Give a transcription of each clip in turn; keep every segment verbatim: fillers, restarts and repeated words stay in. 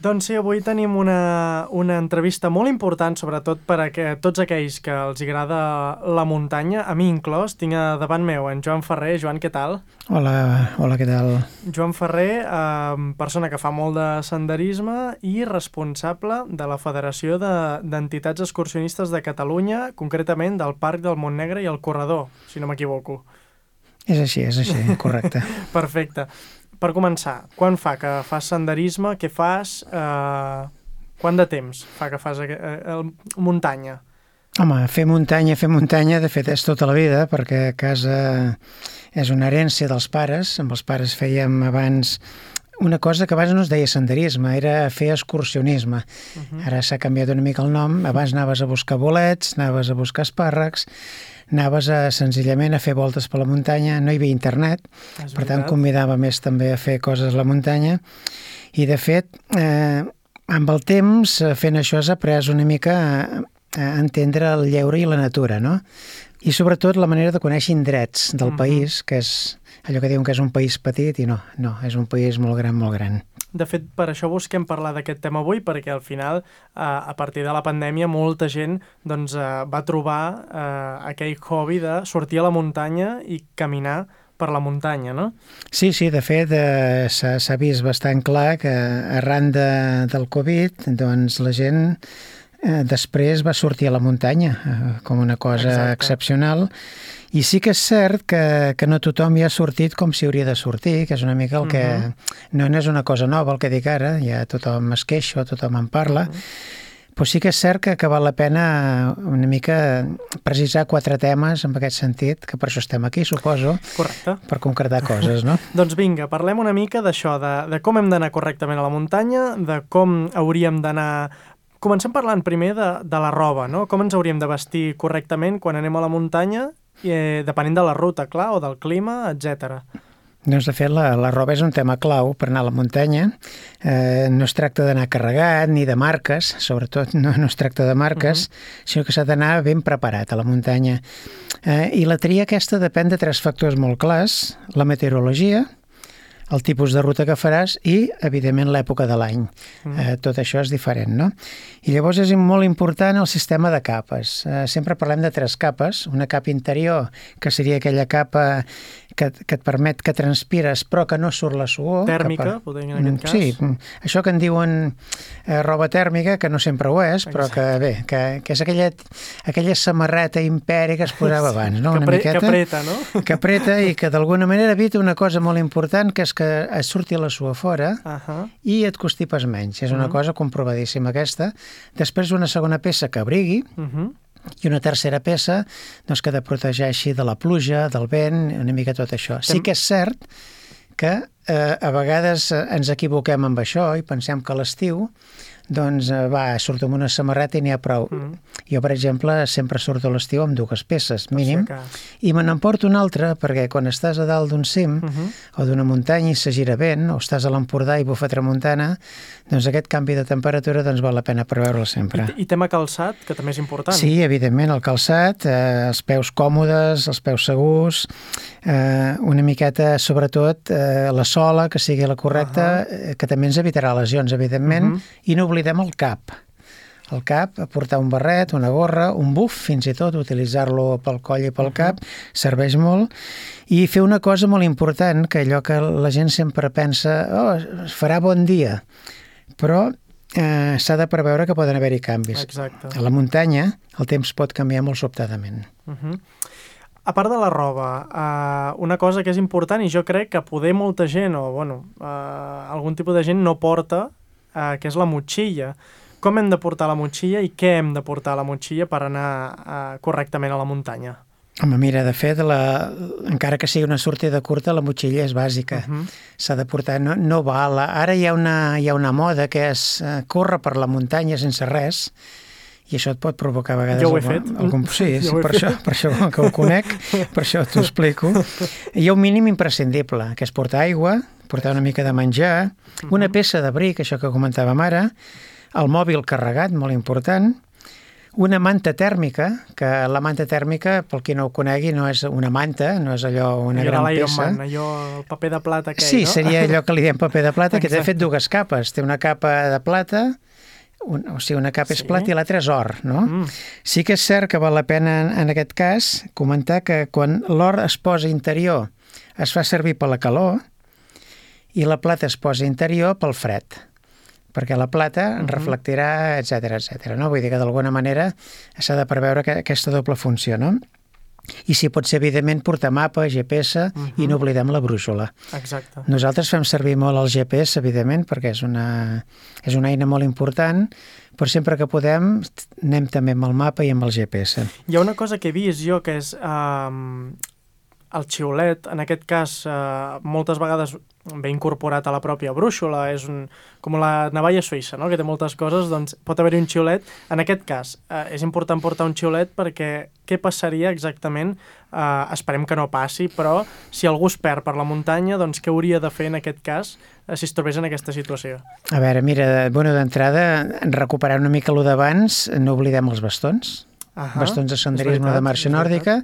Doncs sí, avui tenim una, una entrevista molt important, sobretot per a que, tots aquells que els agrada la muntanya, a mi inclòs. Tinc davant meu en Joan Ferrer. Joan, què tal? Hola, hola, què tal? Joan Ferrer, eh, persona que fa molt de senderisme i responsable de la Federació de- d'Entitats Excursionistes de Catalunya, concretament del Parc del Montnegre i el Corredor, si no m'equivoco. És així, és així, correcte. Perfecte. Per començar, quan fa que fas senderisme? Què fas? Eh, quant de temps fa que fas eh, eh, muntanya? Home, fer muntanya, fer muntanya, de fet, és tota la vida, perquè a casa és una herència dels pares. Amb els pares fèiem abans una cosa que abans no es deia senderisme, era fer excursionisme. Uh-huh. Ara s'ha canviat una mica el nom. Abans anaves a buscar bolets, anaves a buscar espàrrecs, anaves a, senzillament a fer voltes per la muntanya, no hi havia internet, És per tant veritat. convidava més també a fer coses a la muntanya, i de fet, eh, amb el temps, eh, fent això has après una mica a, a entendre el lleure i la natura, no? I sobretot la manera de conèixer indrets del Mhm. país, que és allò que diuen que és un país petit, i no, no, és un país molt gran, molt gran. De fet, per això busquem parlar d'aquest tema avui, perquè al final, eh, a partir de la pandèmia, molta gent doncs, eh, va trobar eh, aquell hobby de sortir a la muntanya i caminar per la muntanya, no? Sí, sí, de fet, eh, s'ha s'ha vist bastant clar que arran de, del Covid, doncs la gent eh, després va sortir a la muntanya eh, com una cosa Exacte. excepcional. I sí que és cert que, que no tothom hi ha sortit com s'hi hauria de sortir, que és una mica el que... Mhm. No, no és una cosa nova el que dic ara, ja tothom es queixa, tothom en parla, però sí que és cert que, que val la pena una mica precisar quatre temes en aquest sentit, que per això estem aquí, suposo, Correcte. per concretar coses, no? Doncs vinga, parlem una mica d'això, de, de com hem d'anar correctament a la muntanya, de com hauríem d'anar... Comencem parlant primer de, de la roba, no? Com ens hauríem de vestir correctament quan anem a la muntanya, eh, depenent de la ruta, clar, o del clima, etcètera. Doncs, de fet, la, la roba és un tema clau per anar a la muntanya. Eh, no es tracta d'anar carregat ni de marques, sobretot no, no es tracta de marques, uh-huh. sinó que s'ha d'anar ben preparat a la muntanya. Eh, I la tria aquesta depèn de tres factors molt clars: la meteorologia, el tipus de ruta que faràs i, evidentment, l'època de l'any. Mm. Eh, tot això és diferent, no? I llavors és molt important el sistema de capes. Eh, sempre parlem de tres capes. Una capa interior, que seria aquella capa que, que et permet que transpires però que no surt la suor. Tèrmica, que per... podem dir en aquest cas. Sí, això que en diuen eh, roba tèrmica, que no sempre ho és, però que bé, que, que és aquella, aquella samarreta imperi que es posava abans, no? Que, Una pre miqueta, que apreta, no? que apreta i que d'alguna manera evita una cosa molt important, que és que et surti la suor fora Uh-huh. i et constipes menys. És una Mhm. cosa comprovadíssima aquesta. Després una segona peça que abrigui Uh-huh. i una tercera peça doncs, que te protegeixi de la pluja, del vent, una mica tot això. Sí que és cert que eh, a vegades eh, ens equivoquem amb això i pensem que a l'estiu doncs eh, va, surto amb una samarreta i n'hi ha prou. Mhm. Jo, per exemple, sempre surto a l'estiu amb dues peces, mínim, Per si acas. i me n'emporto una altra perquè quan estàs a dalt d'un cim Mhm. o d'una muntanya i se gira vent, o estàs a l'Empordà i bufa tramuntana, doncs aquest canvi de temperatura doncs val la pena preveure'l sempre. I, I tema calçat, que també és important. Sí, evidentment, el calçat, eh, els peus còmodes, els peus segurs, eh, una miqueta, sobretot, eh, la sola, que sigui la correcta, uh-huh. eh, que també ens evitarà lesions, evidentment, Mhm. i no oblidem el cap. El cap, portar un barret, una gorra, un buf, fins i tot, utilitzar-lo pel coll i pel Mhm. cap, serveix molt. I fer una cosa molt important, que allò que la gent sempre pensa, oh, es farà bon dia, però eh, s'ha de preveure que poden haver-hi canvis. Exacte. A la muntanya el temps pot canviar molt sobtadament. Uh-huh. A part de la roba, uh, una cosa que és important i jo crec que poder molta gent, o bueno, uh, algun tipus de gent no porta, uh, que és la motxilla. Com hem de portar la motxilla i què hem de portar a la motxilla per anar uh, correctament a la muntanya? Home, mira, de fet, la, encara que sigui una sortida curta, la motxilla és bàsica. Uh-huh. S'ha de portar, no, no val. Ara hi ha, una, hi ha una moda que és uh, córrer per la muntanya sense res, i això et pot provocar a vegades... Jo ho he algun, fet. Algun, sí, Jo sí ho he per, fet. això, per això que ho conec, per això t'ho explico. Hi ha un mínim imprescindible, que és portar aigua, portar una mica de menjar, una peça d'abric, això que comentàvem ara, el mòbil carregat, molt important, una manta tèrmica, que la manta tèrmica, pel qui no ho conegui, no és una manta, no és allò una gran peça. Man, allò, el paper de plata aquell, sí, no? Sí, seria allò que li diem paper de plata, que té fet dues capes. Té una capa de plata, un, o sigui, una capa sí. és plata i l'altra és or, no? Mm. Sí que és cert que val la pena, en aquest cas, comentar que quan l'or es posa interior es fa servir per la calor i la plata es posa interior pel fred, perquè la plata mm-hmm. reflectirà, etcètera, etcètera. No? Vull dir que d'alguna manera s'ha de preveure que aquesta doble funció, no? I si pot ser, evidentment, portar mapa, G P S uh-huh. i no oblidem la brúixola. Exacte. Nosaltres fem servir molt el G P S, evidentment, perquè és una, és una eina molt important, però sempre que podem anem també amb el mapa i amb el G P S. Hi ha una cosa que he vist jo, que és um, el xiulet, en aquest cas, uh, moltes vegades ve incorporat a la pròpia brúixola, és un, com la navalla suïssa, no? Que té moltes coses, doncs pot haver-hi un xiulet. En aquest cas, eh, és important portar un xiulet perquè què passaria exactament? Eh, esperem que no passi, però si algú es perd per la muntanya, doncs què hauria de fer en aquest cas eh, si es trobés en aquesta situació? A veure, mira, bueno, d'entrada, recuperar una mica lo d'abans, no oblidem els bastons, uh-huh. bastons de senderisme veritat, de marxa nòrdica,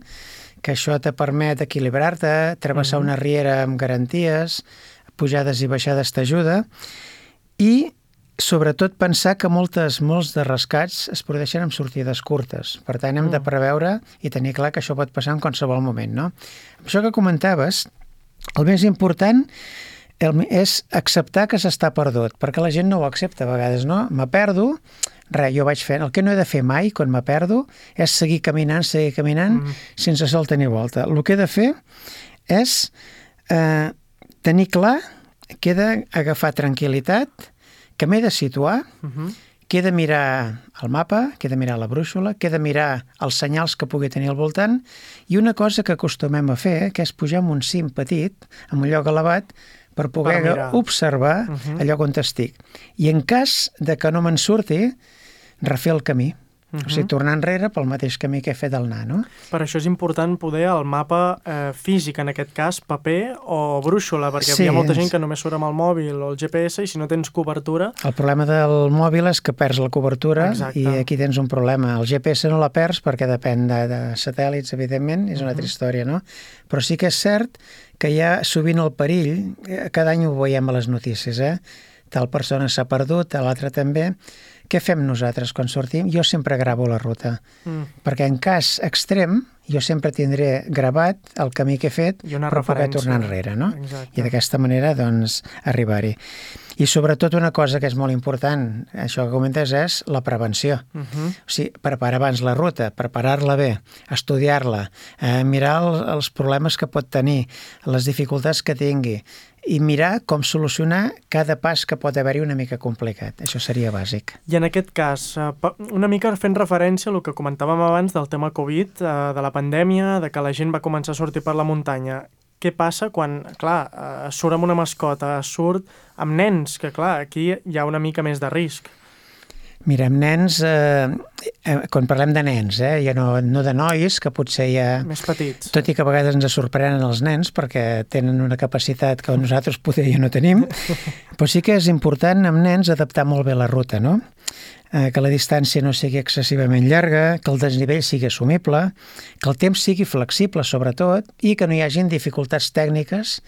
que això te permet equilibrar-te, travessar uh-huh. una riera amb garanties, pujades i baixades t'ajuda, i sobretot pensar que moltes, molts de rescats es produeixen amb sortides curtes. Per tant, hem uh. de preveure i tenir clar que això pot passar en qualsevol moment, no? Això que comentaves, el més important el, és acceptar que s'està perdut, perquè la gent no ho accepta a vegades, no? Me perdo, res, jo vaig fent. El que no he de fer mai, quan me perdo, és seguir caminant, seguir caminant, mm. sense solta ni volta. El que he de fer és eh, tenir clar que he d'agafar tranquil·litat, que m'he de situar, uh-huh. que he de mirar el mapa, que he de mirar la brúixola, que he de mirar els senyals que pugui tenir al voltant, i una cosa que acostumem a fer, que és pujar en un cim petit, en un lloc elevat, per poder per observar uh-huh. allò on estic. I en cas de que no me'n surti, refer el camí. Uh-huh. O sigui, tornar enrere pel mateix camí que he fet al anar, no? Per això és important poder el mapa eh, físic, en aquest cas, paper o brúixola, perquè sí, hi ha molta gent que només surt amb el mòbil o el G P S i si no tens cobertura... El problema del mòbil és que perds la cobertura. Exacte. I aquí tens un problema. El G P S no la perds perquè depèn de, de satèl·lits, evidentment, és una uh-huh. altra història, no? Però sí que és cert que hi ha sovint el perill, cada any ho veiem a les notícies, eh? Tal persona s'ha perdut, l'altra també. Què fem nosaltres quan sortim? Jo sempre gravo la ruta, mm. perquè en cas extrem jo sempre tindré gravat el camí que he fet per poder tornar enrere, no? Exacte. I d'aquesta manera, doncs, arribar-hi. I sobretot una cosa que és molt important, això que comentes, és la prevenció. Uh-huh. O sigui, preparar abans la ruta, preparar-la bé, estudiar-la, eh, mirar el, els problemes que pot tenir, les dificultats que tingui, i mirar com solucionar cada pas que pot haver-hi una mica complicat. Això seria bàsic. I en aquest cas, una mica fent referència al que comentàvem abans del tema Covid, de la pandèmia, de que la gent va començar a sortir per la muntanya. Què passa quan, clar, surt amb una mascota, surt amb nens, que clar, aquí hi ha una mica més de risc. Mira, amb nens, eh, eh, quan parlem de nens, eh, ja no, no de nois, que potser ja... Més petits. Tot i que a vegades ens sorprenen els nens perquè tenen una capacitat que nosaltres potser ja no tenim, però sí que és important amb nens adaptar molt bé la ruta, no? Eh, que la distància no sigui excessivament llarga, que el desnivell sigui assumible, que el temps sigui flexible, sobretot, i que no hi hagin dificultats tècniques,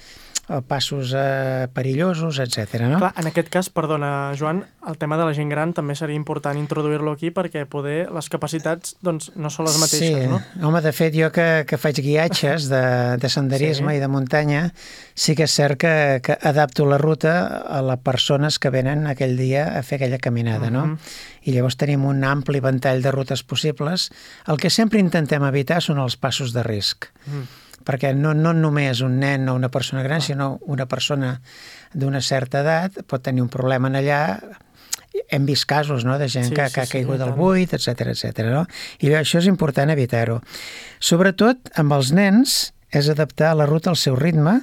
passos eh, perillosos, etcètera. No? Clar, en aquest cas, perdona, Joan, el tema de la gent gran també seria important introduir-lo aquí perquè poder les capacitats doncs, no són les mateixes, sí. no? Home, de fet, jo que, que faig guiatges de, de senderisme sí. i de muntanya, sí que és cert que, que adapto la ruta a les persones que venen aquell dia a fer aquella caminada, uh-huh. no? I llavors tenim un ampli ventall de rutes possibles. El que sempre intentem evitar són els passos de risc. Uh-huh. Perquè no, no només un nen o una persona gran, sinó una persona d'una certa edat pot tenir un problema en allà. Hem vist casos, no?, de gent sí, que, sí, que ha caigut sí, al buit, etcètera, etcètera, no? I bé, això és important evitar-ho. Sobretot, amb els nens, és adaptar la ruta al seu ritme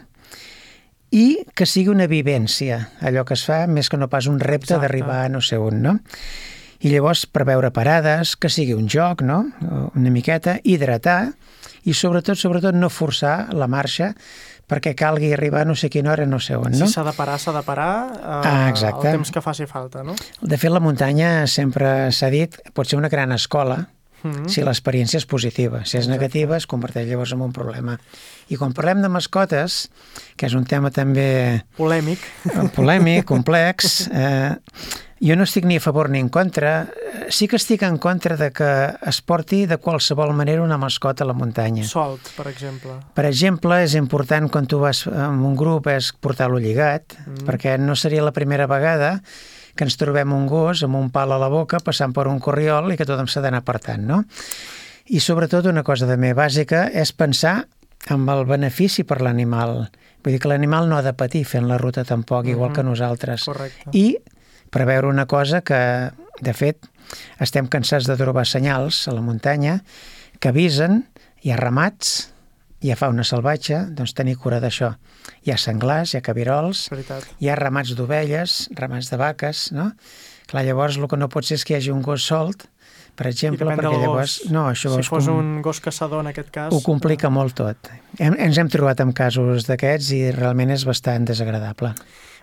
i que sigui una vivència, allò que es fa, més que no pas un repte Exacte. D'arribar a no sé on, no? I llavors preveure parades, que sigui un joc, no?, una miqueta, hidratar, i sobretot, sobretot no forçar la marxa perquè calgui arribar a no sé quina hora, no sé on, no? Si s'ha de parar, s'ha de parar eh, ah, exacte. el temps que faci falta, no? De fet, la muntanya sempre s'ha dit pot ser una gran escola Mm-hmm. si l'experiència és positiva. Si és negativa, es converteix llavors en un problema. I quan parlem de mascotes, que és un tema també... Polèmic. Polèmic, complex, eh, jo no estic ni a favor ni en contra. Sí que estic en contra de que es porti de qualsevol manera una mascota a la muntanya. Solt, per exemple. Per exemple, és important quan tu vas amb un grup és portar-lo lligat, mm. perquè no seria la primera vegada que ens trobem un gos amb un pal a la boca passant per un corriol i que tothom s'ha d'anar apartant, no? I sobretot una cosa també bàsica és pensar en el benefici per l'animal. Vull dir que l'animal no ha de patir fent la ruta tampoc, igual mm-hmm. que nosaltres. Correcte. I preveure una cosa que, de fet, estem cansats de trobar senyals a la muntanya que avisen, hi ha ramats, hi ha fauna salvatge, doncs tenir cura d'això. Hi ha senglars, hi ha cabirols, Veritat. hi ha ramats d'ovelles, ramats de vaques, no? Clar, llavors el que no pot ser és que hi hagi un gos solt, per exemple, perquè llavors... No, això si fos com... un gos caçador en aquest cas... Ho complica molt tot. Hem, ens hem trobat amb casos d'aquests i realment és bastant desagradable.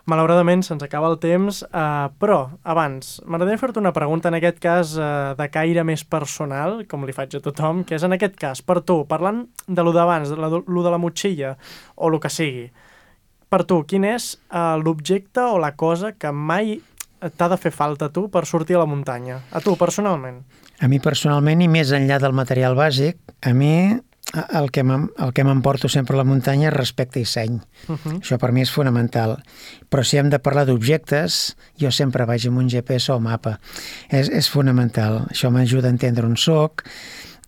Malauradament se'ns acaba el temps, eh, però abans m'agradaria fer-te una pregunta en aquest cas eh, de caire més personal, com li faig a tothom, que és en aquest cas, per tu, parlant de lo d'abans, de lo de la motxilla o el que sigui, per tu, quin és eh, l'objecte o la cosa que mai t'ha de fer falta a tu per sortir a la muntanya? A tu, personalment. A mi personalment, i més enllà del material bàsic, a mi el que m'emporto sempre a la muntanya és respecte i seny. Uh-huh. Això per mi és fonamental. Però si hem de parlar d'objectes, jo sempre vaig amb un G P S o mapa. És, és fonamental. Això m'ajuda a entendre on soc,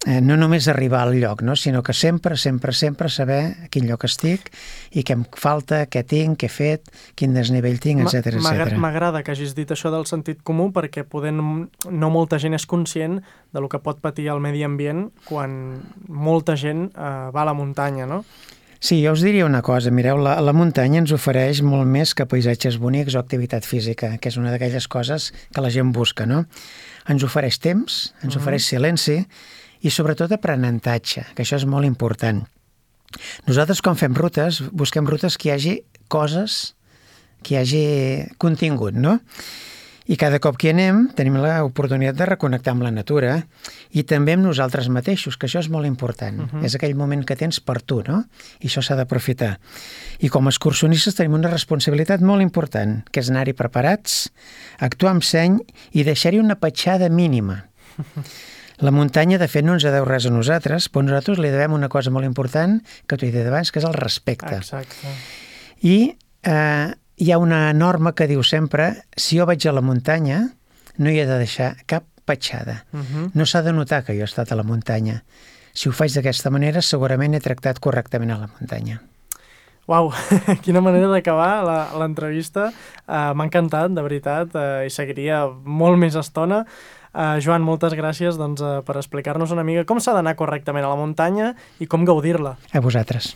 eh, no només arribar al lloc, no? Sinó que sempre, sempre, sempre saber a quin lloc estic i què em falta, què tinc, què he fet, quin desnivell tinc, etcètera, etcètera. M'agrada que hagis dit això del sentit comú perquè poder no molta gent és conscient de lo que pot patir el medi ambient quan molta gent eh, va a la muntanya, no? Sí, jo us diria una cosa, mireu, la, la muntanya ens ofereix molt més que paisatges bonics o activitat física, que és una d'aquelles coses que la gent busca, no? Ens ofereix temps, ens uh-huh. ofereix silenci i sobretot aprenentatge, que això és molt important. Nosaltres quan fem rutes, busquem rutes que hi hagi coses, que hi hagi contingut, no? I cada cop que hi anem tenim l'oportunitat de reconnectar amb la natura i també amb nosaltres mateixos, que això és molt important. Uh-huh. És aquell moment que tens per tu, no? I això s'ha d'aprofitar. I com a excursionistes tenim una responsabilitat molt important, que és anar-hi preparats, actuar amb seny i deixar-hi una petjada mínima. La muntanya, de fet, no ens deu res a nosaltres, però nosaltres li devem una cosa molt important que t'ho he dit abans, que és el respecte. Exacte. I eh, hi ha una norma que diu sempre, si jo vaig a la muntanya, no hi he de deixar cap petjada. Uh-huh. No s'ha de notar que jo he estat a la muntanya. Si ho faig d'aquesta manera, segurament he tractat correctament a la muntanya. Uau, quina manera d'acabar l'entrevista. Uh, M'ha encantat, de veritat, uh, i seguiria molt més estona. Uh, Joan, moltes gràcies doncs, uh, per explicar-nos una mica com s'ha d'anar correctament a la muntanya i com gaudir-la. A vosaltres.